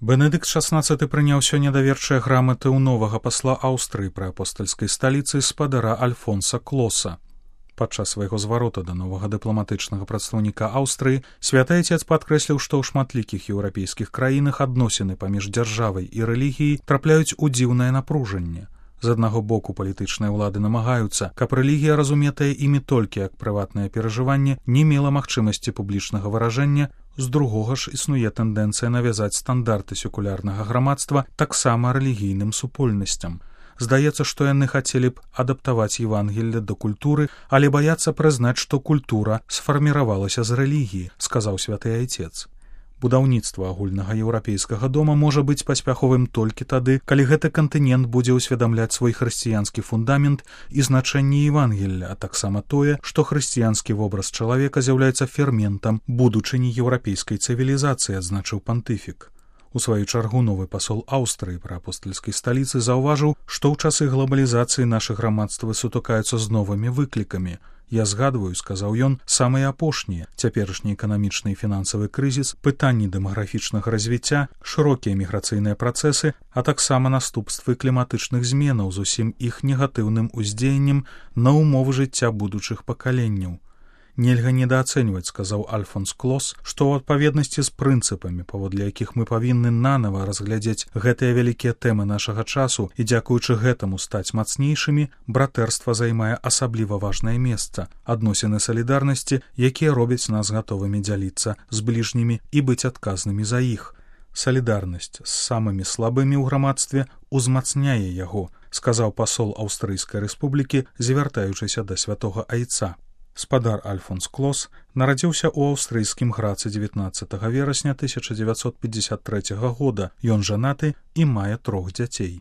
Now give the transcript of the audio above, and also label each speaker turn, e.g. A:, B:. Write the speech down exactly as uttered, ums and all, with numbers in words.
A: Бенедыкт шаснаццаты прыняў сёння даверчыя граматы ў новага пасла Аўстрыі пры апостальскай сталіцы спадара Альфонса Клоса. Падчас свайго зварота да новага дыпламатычнага прадстаўніка Аўстрыі святы айцец падкрэсліў, што ў шматлікіх еўрапейскіх краінах адносіны паміж дзяржавай і рэлігіяй трапляюць у дзіўнае напружанне. З аднаго боку палітычныя ўлады намагаюцца, каб рэлігія, разуметая імі толькі як прыватнае перажыванне, не мела магчымасці публічнага выражэння, з другога ж існуе тэндэнцыя навязаць стандарты секулярнага грамадства таксама рэлігійным супольнасцям. Здаецца, што яны хацелі б адаптаваць Евангелле да культуры, але баяцца прызнаць, што культура сфарміравалася з рэлігіі, сказаў святы айцец. Будаўніцтва агульнага еўрапейскага дома можа быць паспяховым толькі тады, калі гэты кантынент будзе ўсведамляць свой хрысціянскі фундамент і значэнне Евангелля, а таксама тое, што хрысціянскі вобраз чалавека з'яўляецца ферментам будучыні еўрапейскай цывілізацыі, адзначыў пантыфік. У сваю чаргу новы пасол Аўстрыі пры апостальскай сталіцы заўважыў, што ў часы глобалізацыі нашы грамадствы сутыкаюцца з новымі выклікамі. Я згадваю, сказаў ён, самыя апошнія, цяперашні эканамічны і фінансавы крызіс, пытанні дэмаграфічнага развіцця, шырокія міграцыйныя працэсы, а таксама наступствы кліматычных зменаў з усім іх негатыўным уздзеяннем на умовы жыцця будучых пакаленняў. Нельга недаацэньваць, сказаў Альфонс Клос, што ў адпаведнасці з прынцыпамі, паводле якіх мы павінны нанава разглядзець гэтыя вялікія тэмы нашага часу і дзякуючы гэтаму стаць мацнейшымі, братэрства займае асабліва важнае месца, адносіны салідарнасці, якія робяць нас гатовымі дзяліцца з бліжнімі і быць адказнымі за іх. Салідарнасць з самымі слабымі ў грамадстве узмацняе яго, сказаў пасол Аўстрыйскай рэспублікі, звяртаючыся да святога айца. Спадар Альфонс Клос нарадзіўся ў аўстрыйскім Грацы дзевятнаццатага верасня тысяча дзевяцьсот пятьдесят трэцяга года. Ён жанаты і мае трох дзяцей.